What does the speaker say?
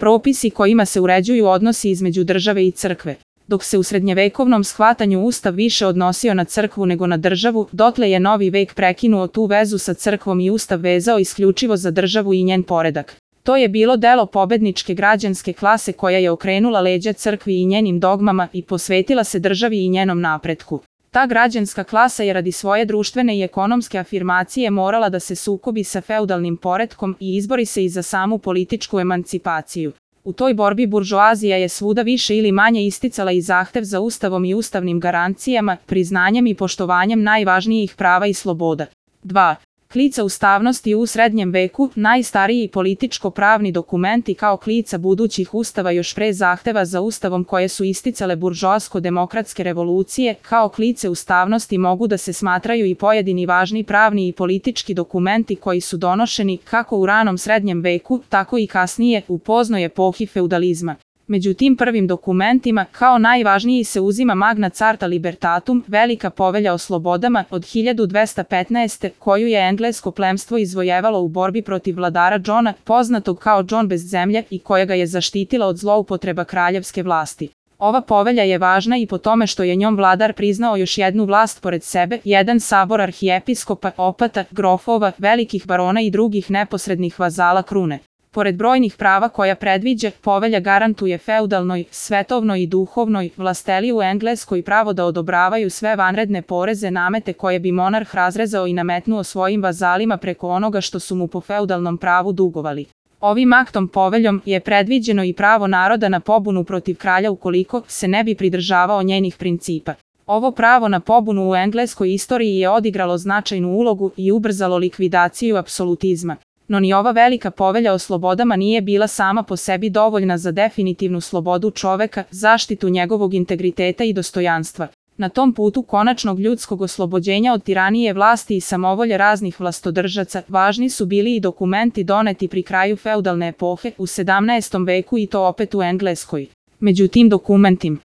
propisi kojima se uređuju odnosi između države i crkve. Dok se u srednjevekovnom shvatanju Ustav više odnosio na crkvu nego na državu, dotle je novi vek prekinuo tu vezu sa crkvom i Ustav vezao isključivo za državu i njen poredak. To je bilo delo pobedničke građanske klase koja je okrenula leđa crkvi i njenim dogmama i posvetila se državi i njenom napretku. Ta građanska klasa je radi svoje društvene i ekonomske afirmacije morala da se sukobi sa feudalnim poretkom i izbori se i za samu političku emancipaciju. U toj borbi buržoazija je svuda više ili manje isticala i zahtev za ustavom i ustavnim garancijama, priznanjem i poštovanjem najvažnijih prava i sloboda. 2. Klica ustavnosti u srednjem veku, najstariji političko-pravni dokumenti kao klica budućih ustava još pre zahteva za ustavom koje su isticale buržoasko-demokratske revolucije, kao klice ustavnosti mogu da se smatraju i pojedini važni pravni i politički dokumenti koji su donošeni kako u ranom srednjem veku, tako i kasnije u poznoj epohi feudalizma. Među tim prvim dokumentima, kao najvažniji se uzima Magna Carta Libertatum, Velika povelja o slobodama od 1215. koju je englesko plemstvo izvojevalo u borbi protiv vladara Johna, poznatog kao John bez zemlje i koja ga je zaštitila od zloupotreba kraljevske vlasti. Ova povelja je važna i po tome što je njom vladar priznao još jednu vlast pored sebe, jedan sabor arhijepiskopa, opata, grofova, velikih barona i drugih neposrednih vazala krune. Pored brojnih prava koja predviđa, povelja garantuje feudalnoj, svetovnoj i duhovnoj vlasteli u Engleskoj pravo da odobravaju sve vanredne poreze namete koje bi monarh razrezao i nametnuo svojim vazalima preko onoga što su mu po feudalnom pravu dugovali. Ovim aktom poveljom je predviđeno i pravo naroda na pobunu protiv kralja ukoliko se ne bi pridržavao njenih principa. Ovo pravo na pobunu u engleskoj istoriji je odigralo značajnu ulogu i ubrzalo likvidaciju apsolutizma. No ni ova velika povelja o slobodama nije bila sama po sebi dovoljna za definitivnu slobodu čoveka, zaštitu njegovog integriteta i dostojanstva. Na tom putu konačnog ljudskog oslobođenja od tiranije vlasti i samovolje raznih vlastodržaca, važni su bili i dokumenti doneti pri kraju feudalne epohe u 17. veku i to opet u Engleskoj. Među tim dokumentima